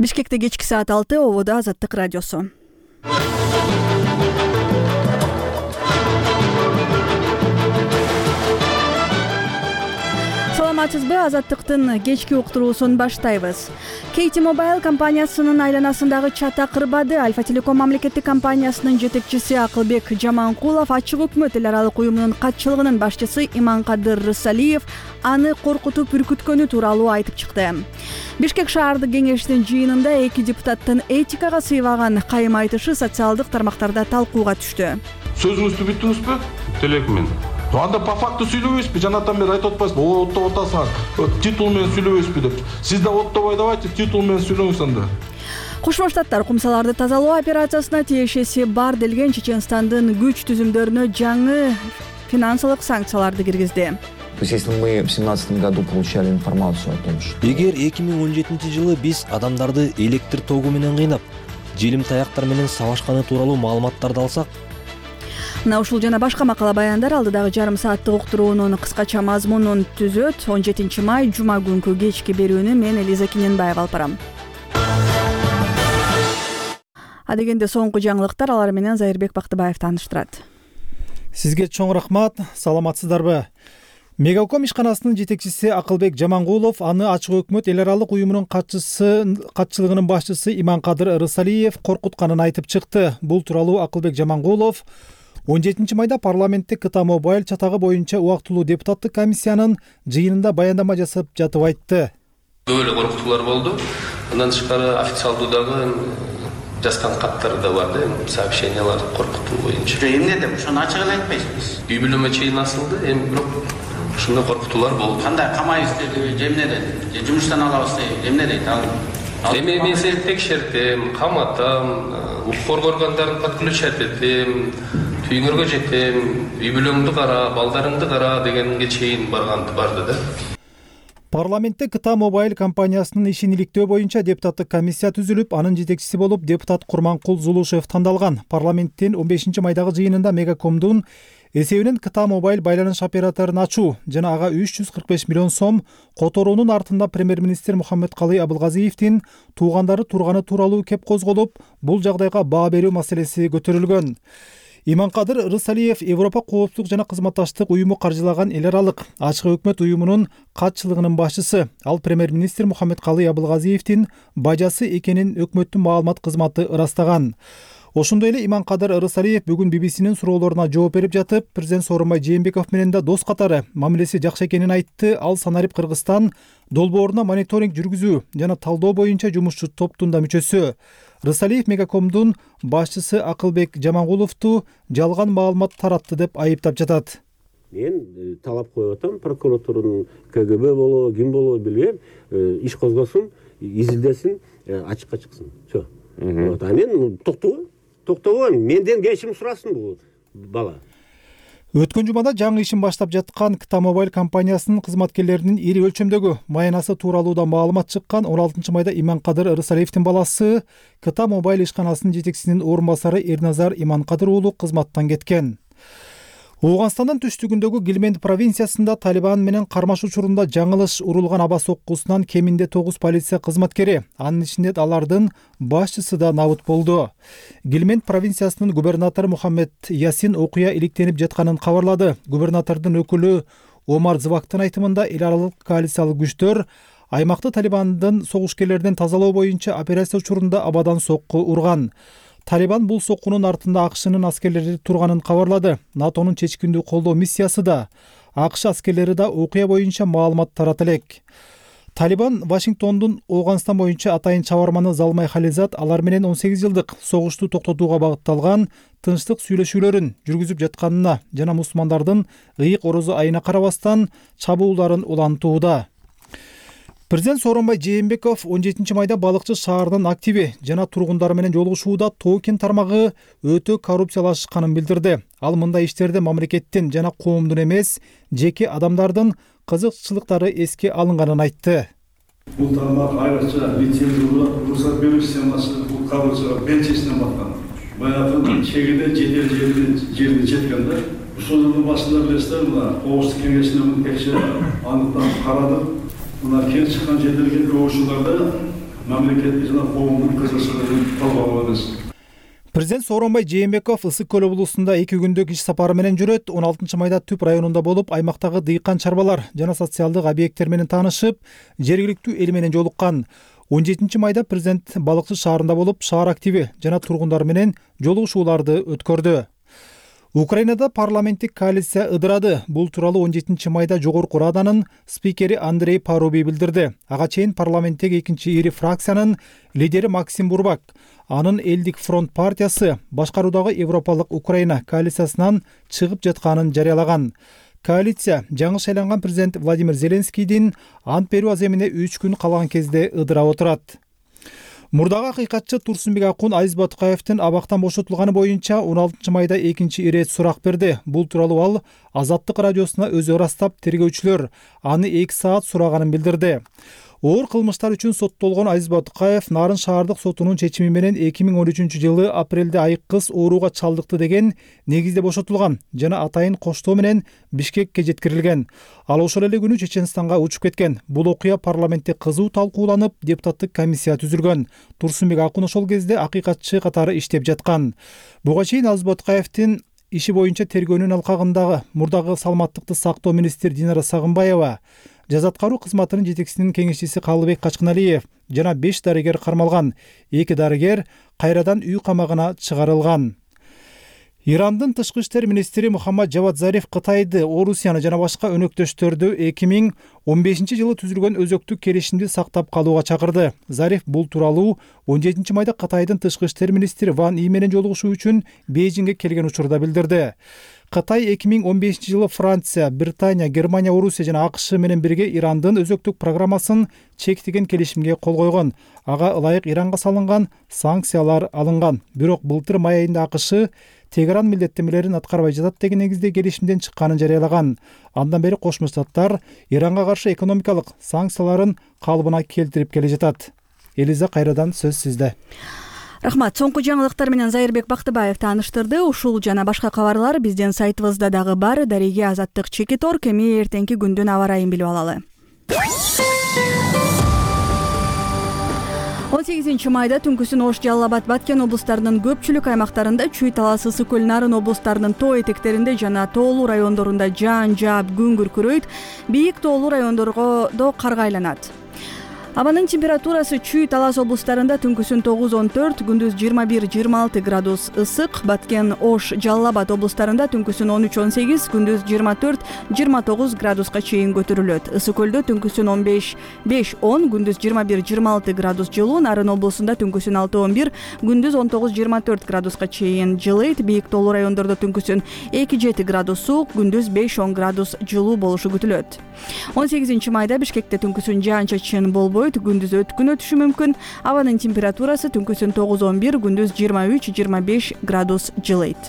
Бишкекте кечки саат 6, ободо Азаттык радиосу. Саламатсызбы? Азаттыктын кечки уктуруусун баштайбыз. Кейти Мобайл компаниясынын айланасындагы чата кырбады. Альфа Телеком мамлекеттик компаниясынын жетекчиси Акылбек Жаманкулов Ачык өкмөт эл аралык уюмунун катчылыгынын башчысы Иманкадыр Рысалиев аны коркутуп үркүткөнү тууралуу айтып чыкты. Бишкек шаардык кеңештин жыйынында эки депутаттын этикага сыйбаган кайым айтышы социалдык тармактарда талкууга түштү. Сөзүңүздү бүттүңүзбү? Телекмен. Анда по факту сүйлөбөйсүзбү? Жанатан бери айтып атпайсызбы? Оттоп атасыңар. Титул менен сүйлөбөйсүзбү деп. Сиз да оттобой давайте титул менен сүйлөңүз анда. Кошмо Штаттар кумсаларды тазалоо операциясына тиешеси бар делген Чеченстандын күч түзүмдөрүнө жаңы финансылык санкцияларды киргизди. То есть, если мы в 2017 году получали информацию о том, что... Эгер 2017 жылы биз адамдарды электр тогу менен кыйнап, желим таяктар менен сабашканы тууралуу маалыматтарды алсак, мына ушул жана башка макала баяндар алдыдагы жарым сааттык уктуруунун кыскача мазмунун түзөт. 17 май жума күнкү кечки берүүнү мен Элиза Киненбаева алып барам. Адегенде соңку жаңылыктар, алар менен Зайырбек Бактыбаев тааныштырат. Сизге чоң рахмат. Саламатсыздарбы? Мегаком ишканасынын жетекчиси Акылбек Жаманкулов аны Ачык өкмөт эл аралык уюмунун катчылыгынын башчысы Иманкадыр Рысалиев коркутканын айтып чыкты. Бул тууралуу Акылбек Жаманкулов 17 майда парламентте КТ Мобайл чатагы боюнча убактылуу депутаттык комиссиянын жыйынында баяндама жасап жатып айтты. Böyle коркутуулар болду. Андан тышкары официалдуу дагы жазган каттар да бар да, сообщениялар коркутуу боюнча. Эмне деп ошону ачык эле айтпайсызбы? Үй бүлөмө чейин асылды, эми бирок ушундай коркутуулар болду. Кандай камайбыз деди, же эмне деди? Же жумуштан алабыз деди, эмне дейт ал? Эми мен сени текшертем, каматам, укук органдарын подключать этем, түйүңөргө жетем, үй бүлөңдү кара, балдарыңды кара дегенге чейин барды да. Парламентте КТ Мобайл компаниясынын ишин иликтөө боюнча депутаттык комиссия түзүлүп, анын жетекчиси болуп депутат Курманкул Зулушев тандалган. Парламенттин 15 майдагы жыйынында Мегакомдун эсебинен КТ Мобайл байланыш операторун ачуу жана ага 345 миллион сом которуунун артында премьер-министр Мухаммедкалый Абылгазиевдин туугандары турганы тууралуу кеп козголуп, бул жагдайга баа берүү маселеси көтөрүлгөн. Иманкадыр Рысалиев Европа коопсуздук жана кызматташтык уюму каржылаган эл аралык Ачык өкмөт уюмунун катчылыгынын башчысы. Ал премьер-министр Мухаммедкалый Абылгазиевдин бажасы экенин өкмөттүн маалымат кызматы ырастаган. Ошондой эле Иманкадыр Рысалиев бүгүн BBC-нин суроолоруна жооп берип жатып, президент Сооронбай Жээнбеков менен да дос катары мамилеси жакшы экенин айтты. Ал Санарип Кыргызстан долбооруна мониторинг жүргүзүү жана талдоо боюнча жумушчу топтун да мүчөсү. Рысалиев Мегакомдун башчысы Акылбек Жаманкуловду жалган маалымат таратты деп айыптап жатат. Мен талап коюп атам, прокуратуранын КГБ болобу, ким болобу билбейм, иш козгосун, изилдесин, ачыкка чыксын. Всё. Вот, а мен токтогон, менден кечирим сурасын бул бала. Өткөн жумада жаңы ишин баштап жаткан КТ Мобайл компаниясынын кызматкерлеринин ири өлчөмдөгү маянасы тууралуу да маалымат чыккан. 16 майда Иманкадыр Рысалиевдин баласы КТ Мобайл ишканасынын жетекчисинин орун басары Эрназар Иманкадыр уулу кызматтан кеткен. Ооганстандын түштүгүндөгү Гилменд провинциясында Талибан менен кармаш учурунда жаңылыш урулган аба соккусунан кеминде 9 полиция кызматкери, анын ичинде алардын башчысы да набыт болду. Гилменд провинциясынын губернатору Мухаммед Ясин окуя иликтенип жатканын кабарлады. Губернатордун өкүлү Омар Звактын айтымында эл аралык коалициялык күчтөр аймакты Талибандын согушкерлерден тазалоо боюнча операция учурунда абадан сокку урган. Талибан бул соккунун артында АКШнын аскерлери турганын кабарлады. НАТОнун чечкиндүү колдоо миссиясы да, АКШ аскерлери да окуя боюнча маалымат тарата элек. Талибан Вашингтондун Ооганстан боюнча атайын чабарманы Залмай Хализат алар менен 18 жылдык согушту токтотууга багытталган тынчтык сүйлөшүүлөрүн жүргүзүп жатканына жана мусулмандардын ыйык орозо айына карабастан чабуулдарын улантууда. Президент Сооронбай Жээнбеков 17 майда балыкчы шаарынын активи жана тургундары менен жолугушууда Токен тармагы өтө коррупциялашканын билдирди. Ал мындай иштерде мамлекеттин жана коомдун эмес, жеке адамдардын кызыкчылыктары эске алынганын айтты. Бул тармак айрыкча лицензиялоо уруксат берүү системасы бул коррупцияга белчесинен баткан. Баягы чегиде жерде жеткен да. Ушул жылдын башында билесиздер, мына Коопсуздук кеңешинин текшерип аныктап карады. Мына кел чыккан жерлерге көп учурларда мамлекеттик жана коомдук кызыкчылыгын колгогонбуз. Президент Сооронбай Жээнбеков Ысык көл облусунда 2 күндүк иш сапары менен жүрөт. 16 майда Түп районунда болуп, аймактагы дыйкан чарбалар жана социалдык объекттер менен таанышып, жергиликтүү эл менен жолуккан. 17 майда президент Балыкчы шаарында болуп, шаар активи жана тургундар менен жолугушууларды өткөрдү. Украинада парламенттик коалиция ыдырады. Бул тууралуу 17 майда Жогорку Раданын спикери Андрей Парубий билдирди. Ага чейин парламенттеги экинчи ири фракциянын лидери Максим Бурбак анын Элдик фронт партиясы башкаруудагы Европалык Украина коалициясынан чыгып жатканын жарыялаган. Коалиция жаңы шайланган президент Владимир Зеленскийдин ант берүү аземине 3 күн калган кезде ыдырап отурат. Мурдагы акыйкатчы Турсунбек Акун Азиз Батукаевдин абактан бошотулганы боюнча 16 майда экинчи ирет сурак берди. Бул тууралуу ал Азаттык радиосуна өзү ырастап, тергөөчүлөр аны 2 саат сураганын билдирди. Оор кылмыштар үчүн соттолгон Азиз Батукаев Нарын шаардык сотунун чечими менен 2013-жылы апрелде айык кыз ооруга чалдыкты деген негизде бошотулган жана атайын коштоо менен Бишкекке жеткирилген. Ал ошол эле күнү Чеченстанга учуп кеткен. Бул окуя парламентте кызуу талкууланып, депутаттык комиссия түзүлгөн. Турсунбек Акун ошол кезде акыйкатчы катары иштеп жаткан. Буга чейин Азиз Батукаевдин иши боюнча тергөөнүн алкагындагы мурдагы саламаттыкты сактоо министри Динара Сагынбаева, жаза аткаруу кызматынын жетекчисинин кеңешчиси Калыбек Качкыналиев жана 5 дарыгер кармалган. 2 дарыгер кайрадан үй камагына чыгарылган. Ирандын тышкы иштер министри Мухаммад Жавад Зариф Кытайды, Орусияны жана башка өнөктөштөрдү 2015-жылы түзүлгөн өзөктүк келишимди сактап калууга чакырды. Зариф бул тууралуу 17 майда Кытайдын тышкы иштер министри Ван И менен жолугушуу үчүн Бейжиңге келген учурда билдирди. Кытай 2015-жылы Франция, Британия, Германия, Орусия жана АКШ менен бирге Ирандын өзөктүк программасын чектеген келишимге кол койгон. Ага ылайык Иранга салынган санкциялар алынган. Бирок былтыр май айында АКШ Тегеран милдеттемелерин аткарбай жатат деген негизде келишимден чыкканын жарыялаган. Андан бери Кошмо Штаттар Иранга каршы экономикалык санкцияларын калыбына келтирип келе жатат. Элиза, кайрадан сөз сизде. Рахмат. Соңку жаңылыктар менен Зайырбек Бактыбаев тааныштырды. Ушул жана башка кабарлар биздин сайтыбызда дагы бар. Дареге Азаттык Чекитор. Эми эртеңки күндүн аба ырайын билип алалы. 18 майда түнкүсүн Ош, Жалал Абад, Баткен облустарынын көпчүлүк аймактарында, Чүй, Талас, Ысык көл, Нарын облустарынын тоо этектеринде жана тоолуу райондорунда жаан жаап күн күркүрөйт. Бийик тоолуу райондорго карга айланат. Абанын температурасы Чүй, Талас облустарында түнкүсүн 9-14, күндүз 21-26 градус ысык. Баткен, Ош, Жалал Абад облустарында түнкүсүн 13-18, күндүз 24-29 градуска чейин көтөрүлөт. Ысык көлдө түнкүсүн 15-5-10, күндүз 21-26 градус жылуу. Нарын облусунда түнкүсүн 6-11, күндүз 19-24 градуска чейин жылыйт. Бийик тоолуу райондордо түнкүсүн 2-7 градус суук, күндүз 5-10 градус жылуу болушу күтүлөт. 18 майда Бишкекте түнкүсүн жаан-чачын болбойт, күндүз өткүн өтүшү мүмкүн. Абанын температурасы түнкүсүн 9-11, күндүз 23-25 градус жылыйт.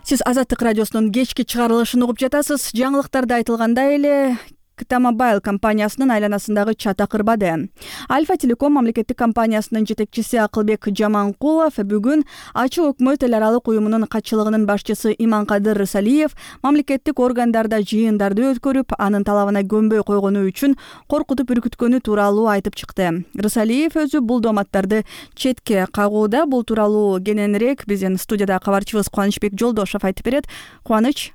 Сиз Азаттык радиосунун кечки чыгарылышын угуп жатасыз. Жаңылыктарда айтылгандай эле Кыта Мобайл компаниясынын айланасындагы чата кырбады. Альфа Телеком мамлекеттик компаниясынын жетекчиси Акылбек Жаманкулов бүгүн Ачык өкмөт эл аралык уюмунун катчылыгынын башчысы Иманкадыр Рысалиев мамлекеттик органдарда жыйындарды өткөрүп, анын талабына көнбөй койгону үчүн коркутуп үркүткөнү тууралуу айтып чыкты. Рысалиев өзү бул дооматтарды четке кагууда. Бул тууралуу кененирээк биздин студияда кабарчыбыз Кубанычбек Жолдошов айтып берет. Кубаныч.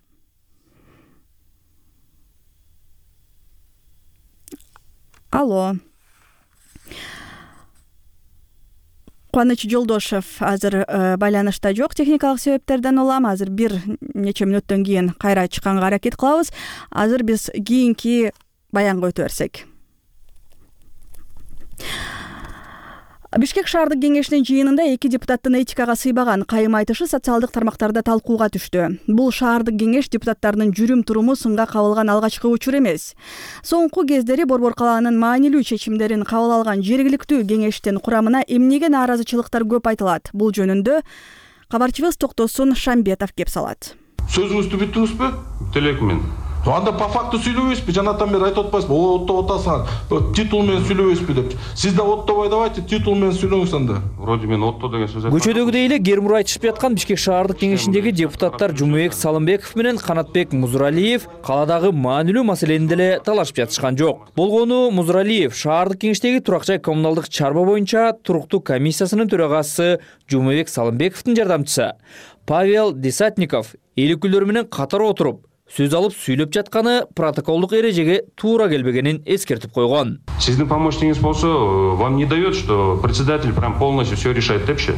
Алло. Кубаныч Жолдошев азыр байланышта жок, техникалык себептерден улам. Азыр бир нече мүнөттөн кийин кайра чыкканга аракет кылабыз. Азыр биз кийинки баянга өтө берсек. Бишкек шаардык кеңешинин жыйынында 2 депутаттын этикага сыйбаган кайым айтышы социалдык тармактарда талкууга түштү. Бул шаардык кеңеш депутаттарынын жүрүм-туруму сынга кабылган алгачкы учур эмес. Соңку кездери Борбор калаанын маанилүү чечимдерин кабыл алган жергиликтүү кеңештин курамына эмнеге нааразычылыктар көп айтылат. Бул жөнүндө кабарчыбыз Токтосун Шамбетов кеп салат. Сөзүңүздү бүттүңүзбү? Телекмен. Анда по факту сүйлөбөйсүзбү? Жанатан бери айтып атпайсызбы? Оттоп атасың, титул менен сүйлөбөйсүзбү деп. Сиз да оттобой давайте, титул менен сүйлөңүз анда. Вроде мен отто деген сөз айттым. Көчөдөгүдөй эле Гермур айтышып жаткан Бишкек шаардык кеңешиндеги депутаттар Жумабек Салымбеков менен Канатбек Музуралиев каладагы маанилүү маселени деле талашып жатышкан жок. Болгону Музуралиев шаардык кеңештеги турак жай коммуналдык чарба боюнча туруктуу комиссиясынын төрагасы Жумабек Салымбековдун жардамчысы Павел Десятников эл өкүлдөрү менен катар отуруп сөз алып сүйлөп жатканы протоколдук эрежеге туура келбегенин эскертип койгон. Сиздин помощниктиңиз болсо, вам не дает, что председатель прям полностью все решает депчи.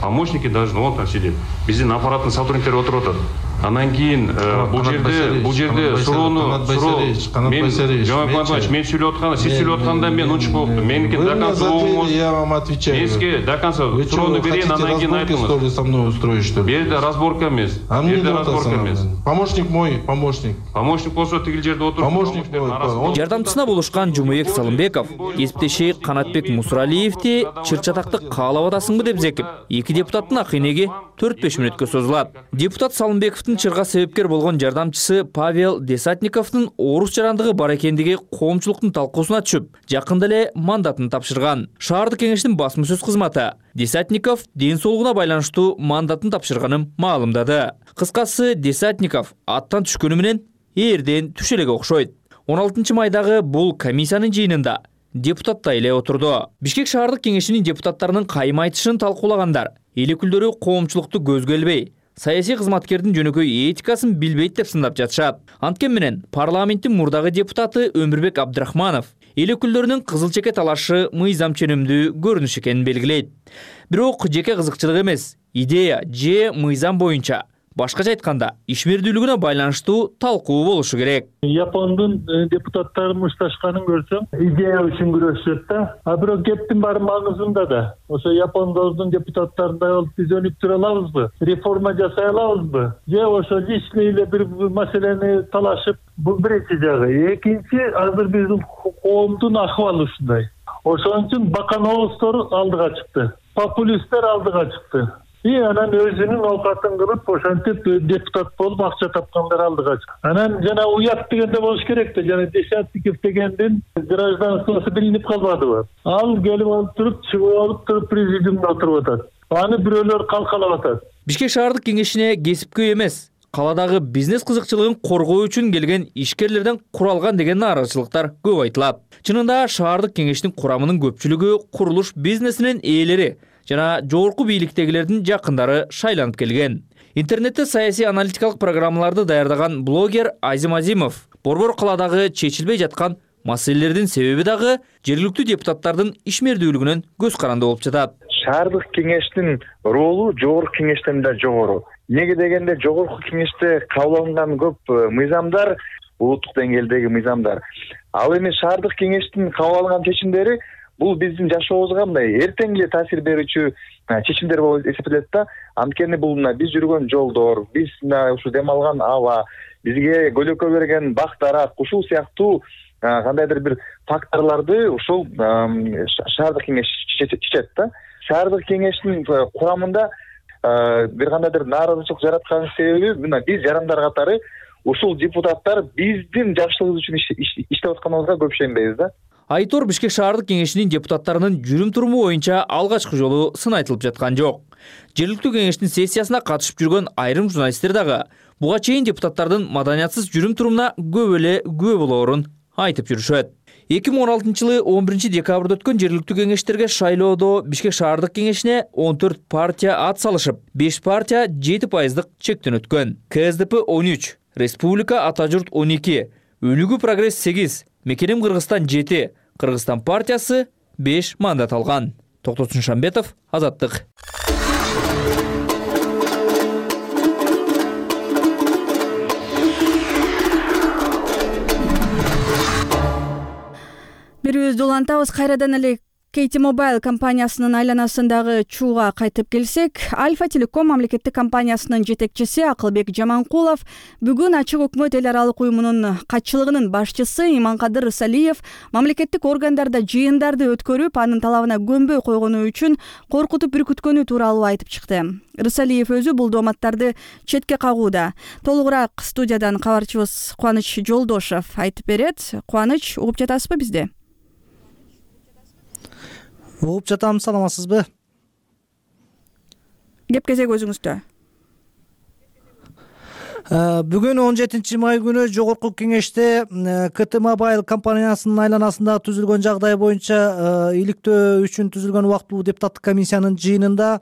Помощники должны вот там сидеть. Биздин аппараттын сотрудниктери отуруп атат. Анан кийин бул жерде суроону мен сүйлөп атканда, сиз сүйлөп атканда мен унчуп болуптум. Меники до конца я вам отвечаю. Меники до конца суроону берейин, анан кийин айтыңыз. Со мной устроить что ли? Бу жерде разборка эмес. Помощник мой, помощник. Помощник болсо тигил жерде отуруп. Помощник мой. Жардамчысына болушкан Жумабек Салымбеков кесиптеши Канатбек Мусуралиевди чыр-чатакты каалап атасыңбы деп зекип, эки депутаттын акыйнеги 4-5 мүнөткө созулат. Депутат Салымбековдун чырга себепкер болгон жардамчысы Павел Десятниковдун орус жарандыгы бар экендиги коомчулуктун талкуусуна түшүп, жакында эле мандатын тапшырган. Шаардык кеңештин басма сөз кызматы Десятников ден соолугуна байланыштуу мандатын тапшырганын маалымдады. Кыскасы Десятников аттан түшкөнү менен эрден түшө элеге окшойт. 16 майдагы бул комиссиянын жыйынында депутаттай эле отурду. Бишкек шаардык кеңешинин депутаттарынын кайым айтышын талкуулагандар эл өкүлдөрү коомчулукту көзгө илбей, саясий кызматкердин жөнөкөй этикасын билбейт деп сындап жатышат. Анткени менен парламенттин мурдагы депутаты Өмүрбек Абдрахманов эл өкүлдөрүнүн кызыл чеке талашы мыйзам ченемдүү көрүнүш экенин белгилейт. Бирок жеке кызыкчылык эмес, идея же мыйзам боюнча башкача айтканда ишмердүүлүгүнө байланыштуу талкуу болушу керек. Япондун депутаттары мушташканын көрсөм, идея үчүн күрөшөт да. А бирок кептин баары маңызында да. Ошо япондордун депутаттарындай болуп биз өнүк тура алабызбы? Реформа жасай алабызбы? Же ошо личный эле бир маселени талашып, бул биринчи жагы. Экинчи, азыр биздин коомдун акыбалы ушундай. Ошон үчүн баканооздор алдыга чыкты. Популисттер алдыга чыкты. Анан өзүнүн оокатын кылып, ошентип депутат болуп акча тапкандар алдыга чыкты. Анан жана уят дегенде болуш керек да, жана Десятников дегендин гражданствосу билинип калбадыбы? Ал келип алып туруп, чыгып алып туруп президиумда отуруп атат. Аны бирөөлөр калкалап атат. Бишкек шаардык кеңешине кесипкөй эмес, каладагы бизнес кызыкчылыгын коргоо үчүн келген ишкерлерден куралган деген нааразычылыктар көп айтылат. Чынында шаардык кеңештин курамынын көпчүлүгү курулуш бизнесинин ээлери жана жогорку бийликтегилердин жакындары шайланып келген. Интернетте саясий аналитикалык программаларды даярдаган блогер Азим Азимов борбор каладагы чечилбей жаткан маселелердин себеби дагы жергиликтүү депутаттардын ишмердүүлүгүнөн көз каранды болуп жатат. Шаардык кеңештин ролу жогорку кеңештен да жогору. Неге дегенде жогорку кеңеште кабыл алынган көп мыйзамдар улуттук деңгээлдеги мыйзамдар. Ал эми шаардык кеңештин кабыл алган чечимдери бул биздин жашообузга мындай эртең эле таасир берүүчү чечимдер болуп эсептелет да. Анткени бул биз жүргөн жолдор, биз ушу дем алган аба, бизге көлөкө берген бак дарак, ушул сыяктуу кандайдыр бир факторлорду ушул шаардык кеңеш чечет да. Шаардык кеңештин курамында бир кандайдыр нааразычылык жараткан себеби биз жарандар катары ушул депутаттар биздин жакшылыгыбыз үчүн иштеп атканыбызга көп ишенбейбиз да. Айтор Бишкек шаардык кеңешинин депутаттарынын жүрүм туруму боюнча алгачкы жолу сын айтылып жаткан жок. Жергиликтүү кеңештин сессиясына катышып жүргөн айрым журналисттер дагы буга чейин депутаттардын маданиятсыз жүрүм турумуна көп эле күбө болоорун айтып жүрүшөт. 2016 жылы 11 декабрда өткөн жергиликтүү кеңештерге шайлоодо Бишкек шаардык кеңешине 14 партия ат салышып, 5 партия 7% чектен өткөн. КСДП 13, Республика Ата журт 12, Өнүгүү Прогресс 8, Мекеним Кыргызстан 7, Кыргызстан партиясы 5 мандат алган. Токтосун Шамбетов, Азаттык. Бирибизди улантабыз, кайрадан эле KT Mobile компаниясынын айланасындагы чууга кайтып келсек, Альфа Телеком мамлекеттик компаниясынын жетекчиси Акылбек Жаманкулов бүгүн Ачык өкмөт эл аралык уюмунун катчылыгынын башчысы Иманкадыр Рысалиев мамлекеттик органдарда жыйындарды өткөрүп, анын талабына көнбөй койгону үчүн коркутуп үркүткөнү тууралуу айтып чыкты. Рысалиев өзү бул дооматтарды четке кагууда. Толугураак студиядан кабарчыбыз Кубаныч Жолдошов айтып берет. Кубаныч, угуп жатасызбы бизди? Угуп жатам, саламатсызбы? Кеп кезек өзүңүздө. Бүгүн 17 май күнү Жогорку Кеңеште KT Mobile компаниясынын айланасында түзүлгөн жагдай боюнча иликтөө үчүн түзүлгөн убактылуу депутаттык комиссиянын жыйынында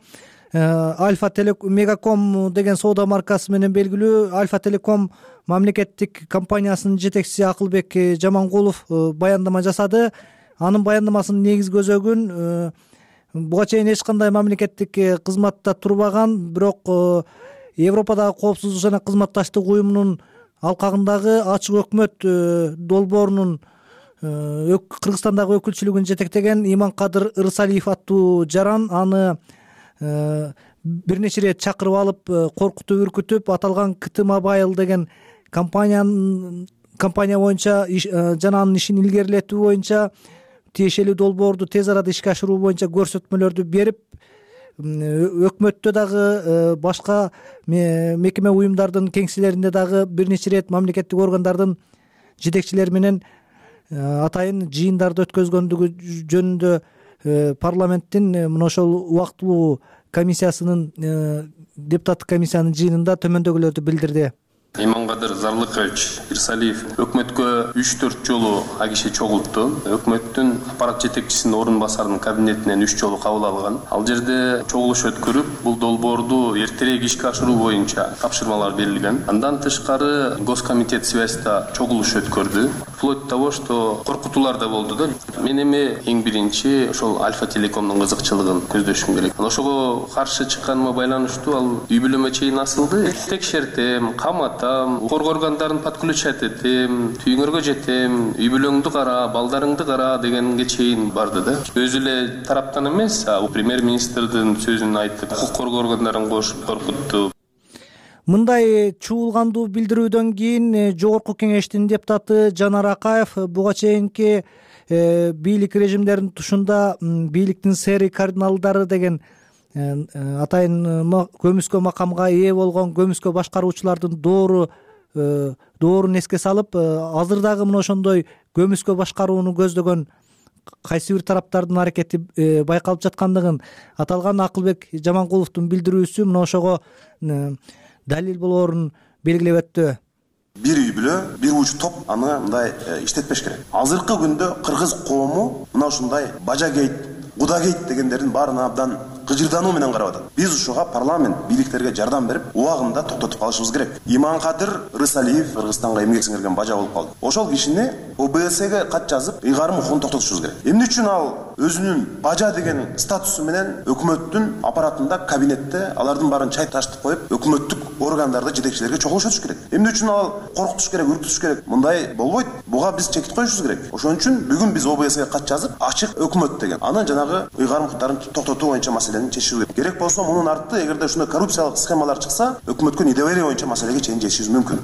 Альфа Мегаком деген соода маркасы менен белгилүү Альфа Телеком мамлекеттик компаниясынын жетекчиси Акылбек Жаманкулов баяндама жасады. Анын баяндамасынын негизги өзөгүн буга чейин эч кандай мамлекеттик кызматта турбаган, бирок Европадагы коопсуздук жана кызматташтык уюмунун алкагындагы Ачык өкмөт долбоорунун Кыргызстандагы өкүлчүлүгүн жетектеген Иманкадыр Рысалиев аттуу жаран аны бир нече ирет чакырып алып, коркутуп үркүтүп, аталган KT Mobile деген компания боюнча жана анын ишин илгерилетүү боюнча тиешелүү долбоорду тез арада ишке ашыруу боюнча көрсөтмөлөрдү берип, өкмөттө дагы башка мекеме уюмдардын кеңселеринде дагы бир нече ирет мамлекеттик органдардын жетекчилери менен атайын жыйындарды өткөзгөндүгү жөнүндө парламенттин мына ошол убактылуу комиссиясынын депутаттык комиссиянын жыйынында төмөндөгүлөрдү билдирди. Иманкадыр Зарлыкович Рысалиев өкмөткө 3-4 жолу агише чогултту. Өкмөттүн аппарат жетекчисинин орун басарынын кабинетинен 3 жолу кабыл алган. Ал жерде чогулуш өткөрүп, бул долбоорду эртерээк ишке ашыруу боюнча тапшырмалар берилген. Андан тышкары Госкомитет связьда чогулуш өткөрдү. Вплоть до того, что коркутуулар да болду да. Мен эми эң биринчи ошол Альфа Телекомдун кызыкчылыгын көздөшүм керек. Ошого каршы чыкканыма байланыштуу ал үй бүлөмө чейин асылды. Текшертем, камат укук органдарын подключать этем, түйүңөргө жетем, үй бүлөңдү кара, балдарыңды кара дегенге чейин барды да. Өзү эле тараптан эмес, премьер-министрдин сөзүн айтып, укук коргоо органдарын кошуп коркутту. Мындай чуулгандуу билдирүүдөн кийин Жогорку Кеңештин депутаты Жанар Акаев буга чейинки бийлик режимдеринин тушунда бийликтин сери кардиналдары деген атайын көмүскө макамга ээ болгон көмүскө башкаруучулардын доорун эске салып, азыр дагы мына ошондой көмүскө башкарууну көздөгөн кайсы бир тараптардын аракети байкалып жаткандыгын аталган Акылбек Жаманкуловдун билдирүүсү мына ошого далил болоорун белгилеп өттү. Бир үй бүлө, бир уч топ аны мындай иштетпеш керек. Азыркы күндө кыргыз коому мына ушундай бажагейт, кудагейт дегендердин баарына абдан кыжырдануу менен карап атат. Биз ушуга парламент бийликтерге жардам берип, убагында токтотуп калышыбыз керек. Иманкадыр Рысалиев Кыргызстанга эмгек сиңирген бажа болуп калды. Ошол кишини ОБС-ге кат жазып, ыйгарым укугун токтотушубуз керек. Эмне үчүн ал өзүнүн бажа деген статусу менен өкмөттүн аппаратында, кабинетте алардын баарын чай ташытып коюп, өкмөттүк органдарды жетекчилерге чогулуш өтүш керек. Эмне үчүн ал коркутуш керек, үркүтүш керек? Мындай болбойт. Буга биз чекит коюшубуз керек. Ошон үчүн бүгүн биз ОБС-ге кат жазып, ачык өкмөт деген анан жанагы ыйгарым укуктарын токтотуу боюнча маселени чечишибиз керек. Болсо мунун арты эгерде ушундай коррупциялык схемалар чыкса, өкмөткө недоверие боюнча маселеге чейин жетишибиз мүмкүн.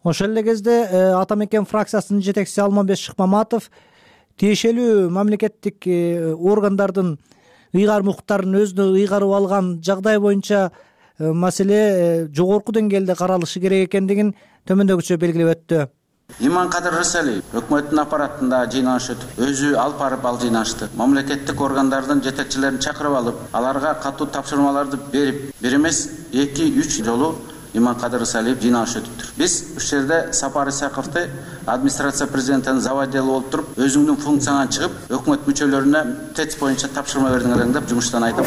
Ошол эле кезде Ата мекен фракциясынын жетекчиси Алмамбет Шыкмаматов тиешелүү мамлекеттик органдардын ыйгарым укуктарын өзүнө ыйгарып алган жагдай боюнча маселе жогорку деңгээлде каралышы керек экендигин төмөндөгүчө белгилеп өттү. Иманкадыр Рысалиев өкмөттүн аппаратында жыйналыш өтүп, өзү алып барып ал жыйналышты мамлекеттик органдардын жетекчилерин чакырып алып, аларга катуу тапшырмаларды берип, бир эмес 2-3 жолу Иманкадыр Рысалиев жыйналыш өтүптүр. Биз ушул жерде Сапар Исаковду администрация президентинин заводделу болуп туруп, өзүңдүн функцияңан чыгып, өкмөт мүчөлөрүнө ТЭЦ боюнча тапшырма бердиңер деп жумуштан айтып,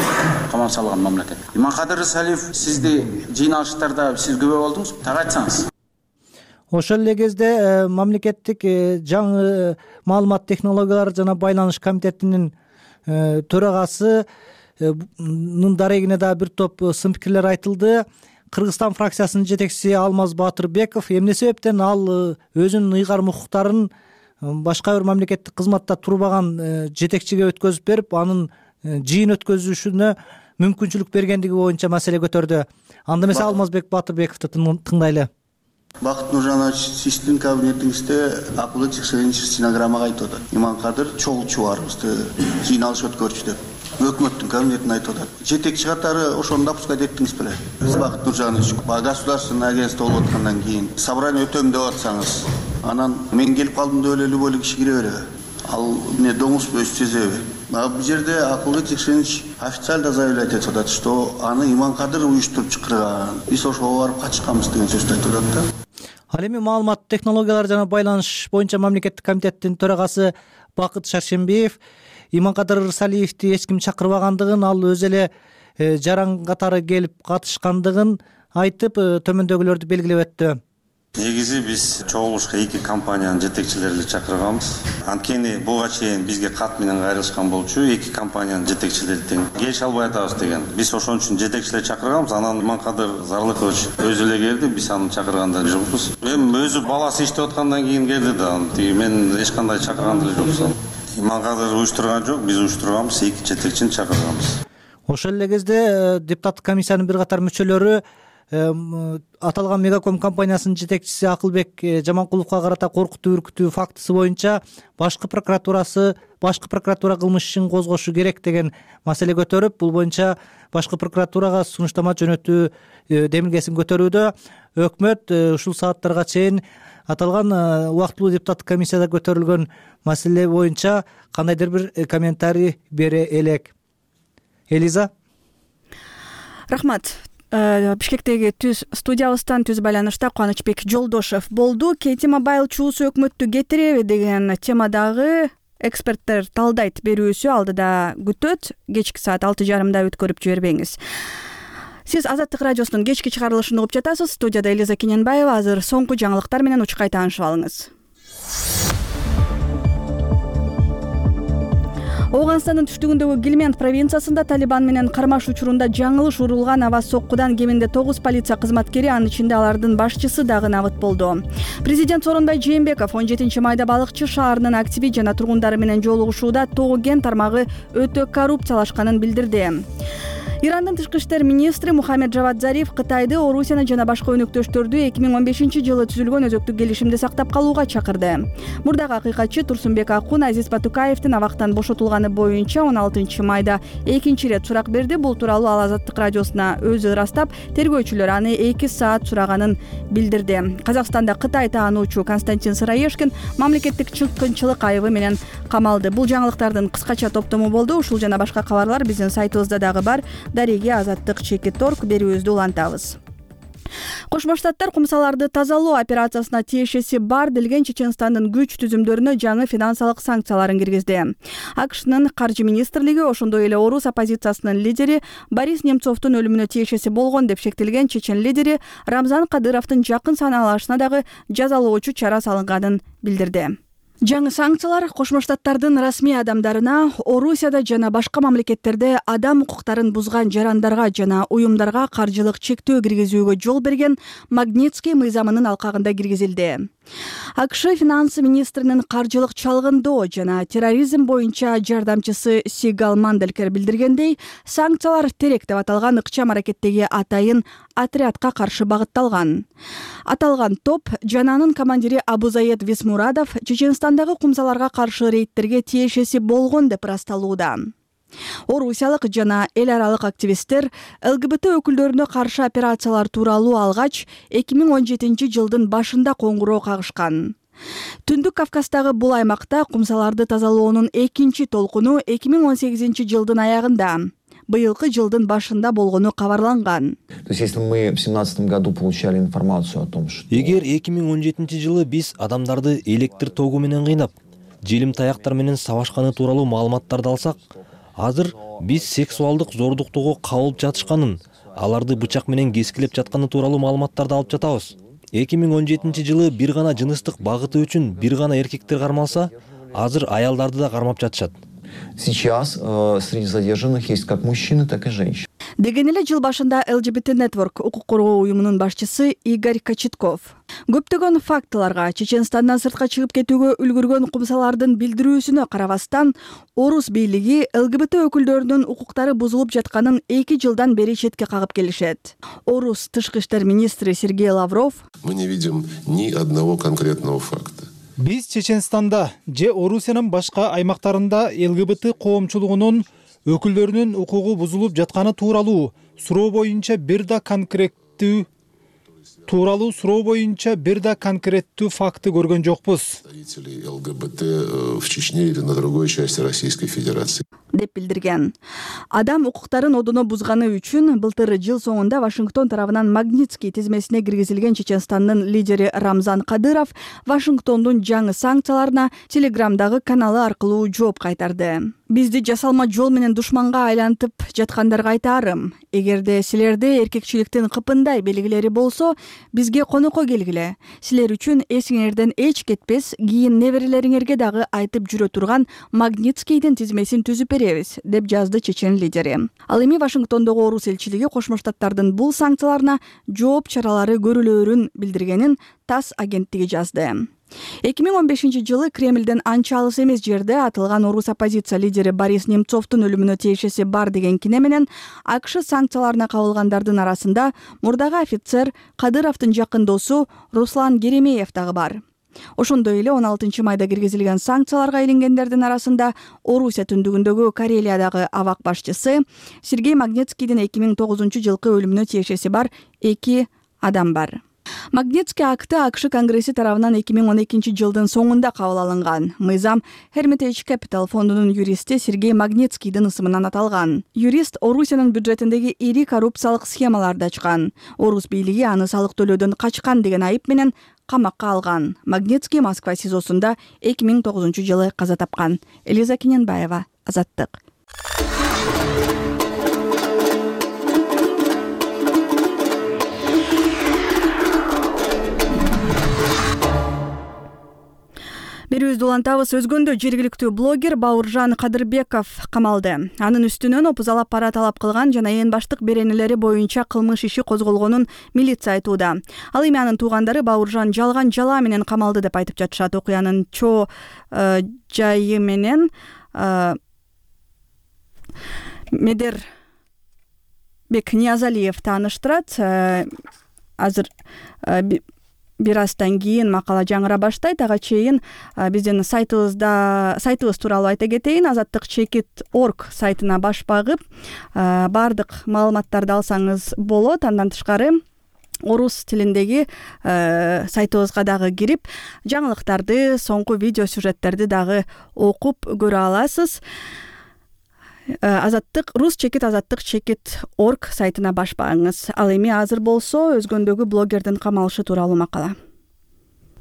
камап салган мамлекет. Иманкадыр Рысалиев сизди жыйналыштарда сиз күбө болдуңузбу? Так айтсаңыз. Ошол эле кезде мамлекеттик жаңы маалымат технологиялары жана байланыш комитетинин төрагасынын дарегине да бир топ сын пикирлер айтылды. Кыргызстан фракциясынын жетекчиси Алмаз Батырбеков эмне себептен ал өзүнүн ыйгарым укуктарын башка бир мамлекеттик кызматта турбаган жетекчиге өткөзүп берип, анын жыйын өткөзүшүнө мүмкүнчүлүк бергендиги боюнча маселе көтөрдү. Анда эмесе Алмазбек Батырбековду тыңдайлы. Бакыт Нуржанович, сиздин кабинетиңизде акылы текшерүүчү стенограммага айтып атат. Иманкадыр чогул чубарыбызды жыйналыш өткөрчү деп. Өкмөттүн кабинетине айтып атат. Жетекчи катары ошону допускать эттиңиз беле? Сиз Бакыт Нуржанович, государственный агентство болуп аткандан кийин собрание өтөм деп атсаңыз, анан мен келип калдым деп эле любой киши кире береби? Ал эмне доңуз өз сезеби? Бул жерде акылы текшерүүчү официально заявлять этип атат, что аны Иманкадыр уюштуруп чакырган. Биз ошого барып катышканбыз деген сөздү айтып атат да. Ал эми маалымат технологиялары жана байланыш боюнча мамлекеттик комитеттин төрагасы Бакыт Шаршембиев Иманкадыр Ырсалиевди эч ким чакырбагандыгын, ал өзү эле жаран катары келип катышкандыгын айтып, төмөндөгүлөрдү белгилеп өттү. Негизи биз чогулушка 2 компаниянын жетекчилерин чакырганбыз. Анткени буга чейин бизге кат менен кайрылышкан болчу, 2 компаниянын жетекчилери тең келише албай атабыз деген. Биз ошон үчүн жетекчилер чакырганбыз. Анан Иманкадыр Зарлыкович өзү эле келди, биз аны чакырганда жокпуз. Эми өзү баласы иштеп аткандан кийин келди да. Мен эч кандай чакырган деле жоксун. Иманкадыр уюштурган жок, биз уюштурганбыз, 2 жетекчини чакырганбыз. Ошол эле кезде депутаттык комиссиянын бир катар мүчөлөрү аталган Мегаком компаниясынын жетекчиси Акылбек Жаманкуловго карата коркутуу үркүтүү фактысы боюнча башкы прокуратура кылмыш ишин козгошу керек деген маселе көтөрүп, бул боюнча башкы прокуратурага сунуштама жөнөтүү демилгесин көтөрүүдө. Өкмөт ушул сааттарга чейин аталган убактылуу депутаттык комиссияда көтөрүлгөн маселе боюнча кандайдыр бир комментарий бере элек. Элиза. Рахмат. Бишкектеги студиябыздан түз байланышта Кубанычбек Жолдошев болду. Кейти Мобайл чуусу өкмөттү кетиреби деген темадагы эксперттер талдайт берүүсү алдыда күтөт. Кечки саат 6:30 өткөрүп жибербеңиз. Сиз Азаттык радиосунун кечки чыгарылышын угуп жатасыз. Студияда Элиза Кененбаева. Азыр соңку жаңылыктар менен учкай таанышып алыңыз. Ооганстандын түштүгүндөгү Гилмент провинциясында Талибан менен кармаш учурунда жаңылыш урулган аба соккудан кеминде 9 полиция кызматкери, анын ичинде алардын башчысы дагы набыт болду. Президент Сооронбай Жээнбеков 17 майда Балыкчы шаарынын активи жана тургундары менен жолугушууда Тоо Кен тармагы өтө коррупциялашканын билдирди. Ирандын тышкы иштер министри Мухаммед Джавад Зариф Кытайды, Орусияны жана башка өнөктөштөрдү 2015-жылы түзүлгөн өзөктүк келишимди сактап калууга чакырды. Мурдагы акыйкатчы Турсунбек Акун Азиз Батукаевдин абактан бошотулганы боюнча 16 майда экинчи ирет сурак берди. Бул тууралуу ал Азаттык радиосуна өзү ырастап, тергөөчүлөр аны 2 саат сураганын билдирди. Казакстанда Кытай таануучу Константин Сыраешкин мамлекеттик чыккынчылык айыбы менен камалды. Бул жаңылыктардын кыскача топтому болду. Ушул жана башка кабарлар биздин сайтыбызда дагы бар. Дареги Азаттык.org берүүбүздү улантабыз. Кошмо Штаттар кумсаларды тазалоо операциясына тиешеси бар делген Чеченстандын күч түзүмдөрүнө жаңы финансылык санкцияларын киргизди. АКШнын каржы министрлиги ошондой эле орус оппозициясынын лидери Борис Немцовдун өлүмүнө тиешеси болгон деп шектелген чечен лидери Рамзан Кадыровдун жакын санаалашына дагы жазалоочу чара салынганын билдирди. Жаңы санкциялар Кошмо Штаттардын расмий адамдарына Орусияда жана башка мамлекеттерде адам укуктарын бузган жарандарга жана уюмдарга каржылык чектөө киргизүүгө жол берген Магнитский мыйзамынын алкагында киргизилди. АКШ финансы министринин каржылык чалгындоо жана терроризм боюнча жардамчысы Сигал Манделкер билдиргендей, санкциялар терек деп аталган ыкчам аракеттеги атайын отрядка каршы багытталган. Аталган топ жана анын командири Абузаед Висмурадов Чеченстандагы кумсаларга каршы рейдтерге тиешеси болгон деп ырасталууда. Орусиялык жана эл аралык активисттер ЛГБТ өкүлдөрүнө каршы операциялар тууралуу алгач 2017 жылдын башында коңгуроо кагышкан. Түндүк Кавказдагы бул аймакта кумсаларды тазалоонун экинчи толкуну 2018 жылдын аягында, быйылкы жылдын башында болгону кабарланган. То есть, если мы в 2017 году получали информацию о том, что... Эгер 2017 жылы биз адамдарды электр тогу менен кыйнап, желим таяктар менен сабашканы тууралуу маалыматтарды алсак, азыр биз сексуалдык зордуктоого кабылып жатышканын, аларды бычак менен кескилеп жатканы тууралуу маалыматтарды алып жатабыз. 2017 жылы бир гана жыныстык багыты үчүн бир гана эркектер кармалса, азыр аялдарды да кармап жатышат. Сейчас среди задержанных есть как мужчины, так и женщины. деген эле жыл башында LGBT Network укук коргоо уюмунун башчысы Игорь Кочетков көптөгөн фактыларга Чеченстандан сыртка чыгып кетүүгө үлгүргөн кумсалардын билдирүүсүнө карабастан орус бийлиги LGBT өкүлдөрүнүн укуктары бузулуп жатканын 2 жылдан бери четке кагып келишет. Орус тышкы иштер министри Сергей Лавров: Мы не видим ни одного конкретного факта. Биз Чеченстанда же Орусиянын башка аймактарында ЛГБТ коомчулугунун өкүлдөрүнүн укугу бузулуп жатканы тууралуу суроо боюнча бир да конкреттүү факты көргөн жокпуз. Представители ЛГБТ в Чечне или на другой части Российской Федерации. деп билдирген. Адам укуктарын одоно бузганы үчүн былтыр жыл соңунда Вашингтон тарабынан Магнитский тизмесине киргизилген Чеченстандын лидери Рамзан Кадыров Вашингтондун жаңы санкцияларына Телеграмдагы каналы аркылуу жооп кайтарды. Бизди жасалма жол менен душманга айлантып жаткандарга айтарым: эгерде силерде эркекчиликтин кыпындай белгилери болсо, бизге конокко келгиле. Силер үчүн эсиңерден эч кетпес, кийин неберелериңерге дагы айтып жүрө турган Магнитскийдин тизмесин түзүп беребиз, деп жазды чечен лидери. Ал эми Вашингтондогу орус элчилиги Кошмо Штаттардын бул санкцияларына жооп чаралары көрүлөөрүн билдиргенин ТАСС агенттиги жазды. 2015-жылы Кремлден анча алыс эмес жерде атылган орус оппозиция лидери Борис Немцовдун өлүмүнө тиешеси бар деген кине менен АКШ санкцияларына кабылгандардын арасында мурдагы офицер Кадыровдун жакын досу Руслан Геремеев дагы бар. Ошондой эле 16-майда киргизилген санкцияларга илингендердин арасында Орусия түндүгүндөгү Карелиядагы абак башчысы Сергей Магнитскийдин 2009-жылкы өлүмүнө тиешеси бар 2 адам бар. Магнитский акты АКШ Конгресси тарабынан 2012-жылдын соңунда кабыл алынган. Мыйзам Hermitage Capital фондунун юристи Сергей Магнитскийдин ысымынан аталган. Юрист Орусиянын бюджетиндеги ири коррупциялык схемаларды ачкан. Орус бийлиги аны салык төлөөдөн качкан деген айып менен камакка алган. Магнитский Москва СИЗОсунда 2009-жылы каза тапкан. Элиза Кененбаева, Азаттык. Берүүбүздү улантабыз. Өзгөндө жергиликтүү блогер Бауыржан Кадырбеков камалды. Анын үстүнөн опузалап пара талап кылган жана эң баштык беренелери боюнча кылмыш иши козголгонун милиция айтууда. Ал эми анын туугандары Бауыржан жалган жала менен камалды деп айтып жатышат. Окуянын чоо жайы менен Медербек Ниязалиев тааныштырат. Азыр бир аздан кийин макала жаңыра баштайт. Ага чейин биздин сайтыбыз тууралуу айта кетейин. Азаттык.org сайтына баш багып, бардык маалыматтарды алсаңыз болот. Андан тышкары орус тилиндеги сайтыбызга дагы кирип, жаңылыктарды, соңку видео сюжеттерди дагы окуп көрө аласыз. Rus-azattik.org сайтына баш багыңыз. Ал эми азыр болсо өзгөндөгү блогердин камалышы тууралуу макала.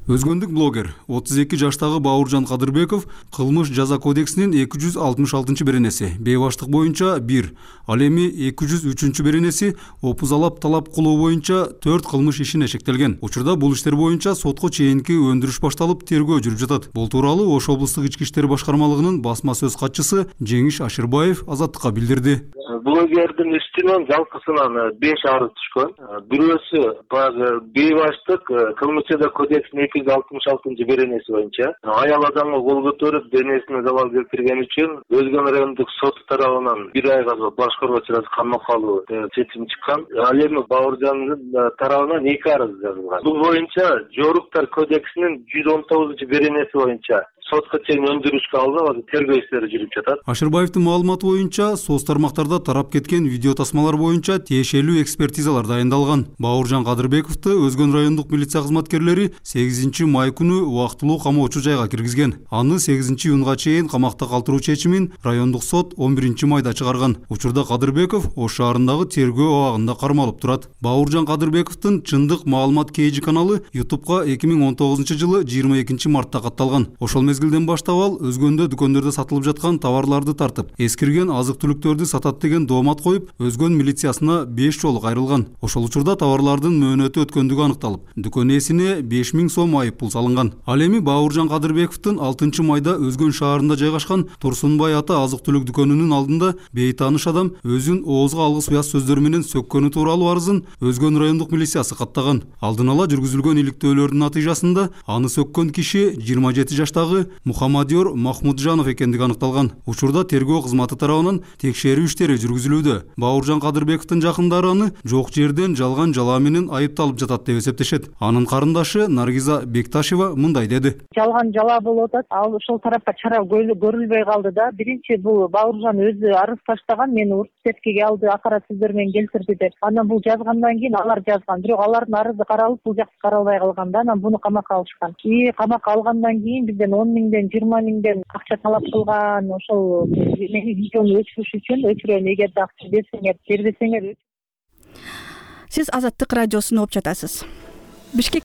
Өзгөндүк блогер 32 жаштагы Бауыржан Кадырбеков кылмыш жаза кодексинин 266-беренеси бейбаштык боюнча 1, ал эми 203 беренеси опузалап талап кылуу боюнча 4 кылмыш ишине шектелген. Учурда бул иштер боюнча сотко чейинки өндүрүш башталып, тергөө жүрүп жатат. Бул тууралуу Ош облустук ички иштер башкармалыгынын басма сөз катчысы Жеңиш Ашырбаев Азаттыкка билдирди. Блогердин үстүнөн жалпысынан 5 арыз түшкөн. Бирөөсү баягы бейбаштык кылмыш жаза кодексинин 266 беренеси боюнча аял адамга кол көтөрүп денесине залал келтирген үчүн Өзгөн райондук сот тарабынан 1 айга башкаруу чарасы камакка алуу чечим чыккан. Ал эми Бауыржандын тарабынан 2 арыз жазылган. Бул боюнча Жоруктар кодексинин 119 беренеси боюнча сотко чейин өндүрүшкө алынып, тергөө иштери жүрүп жатат. Ашырбаевдин маалыматы боюнча соц тармактарда тарап кеткен видео тасмалар боюнча тиешелүү экспертизалар дайындалган. Бауыржан Кадырбековду Өзгөн райондук милиция кызматкерлери 8-май күнү убактылуу камоочу жайга киргизген. Аны 8-июнга чейин камакта калтыруу чечимин райондук сот 11-майда чыгарган. Учурда Кадырбеков Ош шаарындагы тергөө абагында кармалып турат. Бауыржан Кадырбековдун чындык маалымат кейжи каналы YouTube'га 2019-жылы 22 мартта катталган. Ошол мезгилде мезгилден баштап ал өзгөндө дүкөндөрдө сатылып жаткан товарларды тартып, эскирген азык-түлүктөрдү сатат деген доомат коюп, Өзгөн милициясына 5 жолу кайрылган. Ошол учурда товарлардын мөөнөтү өткөндүгү аныкталып, дүкөн ээсине 5000 сом айыппул салынган. Ал эми Бауыржан Кадырбековдун 6 майда Өзгөн шаарында жайгашкан Турсунбай ата азык-түлүк дүкөнүнүн алдында бейтааныш адам өзүн оозго алгыс уяз сөздөр менен сөккөнү тууралуу арызын Өзгөн райондук милициясы каттаган. Алдын ала жүргүзүлгөн иликтөөлөрдүн натыйжасында аны сөккөн киши 27 жаштагы Мухаммадиор Махмуджанов экендиги аныкталган. Учурда тергөө кызматы тарабынан текшерүү иштери жүргүзүлүүдө. Бауыржан Кадырбековдун жакындары аны жок жерден жалган жалаа менен айыпталып жатат деп эсептешет. Анын карындашы Наргиза Бекташева мындай деди. Жалган жалаа болуп атат. Ал ошол тарапка чара көрүлбөй калды да. Биринчи бул Бауыржан өзү арыз таштаган, мени учеткеге алды, акарат сөздөр менен келтирди деп. Анан бул жазгандан кийин алар жазган. Бирок алардын арызы каралып, бул жакты каралбай калган да. Анан буну камакка алышкан. Камакка алгандан кийин бизден 10 миңден 20 миңден акча талап кылган. Ошол мени видеону өчүрүш үчүн өчүрөм, эгерде акча берсеңер, бербесеңер. Сиз Азаттык радиосун угуп жатасыз. Бишкек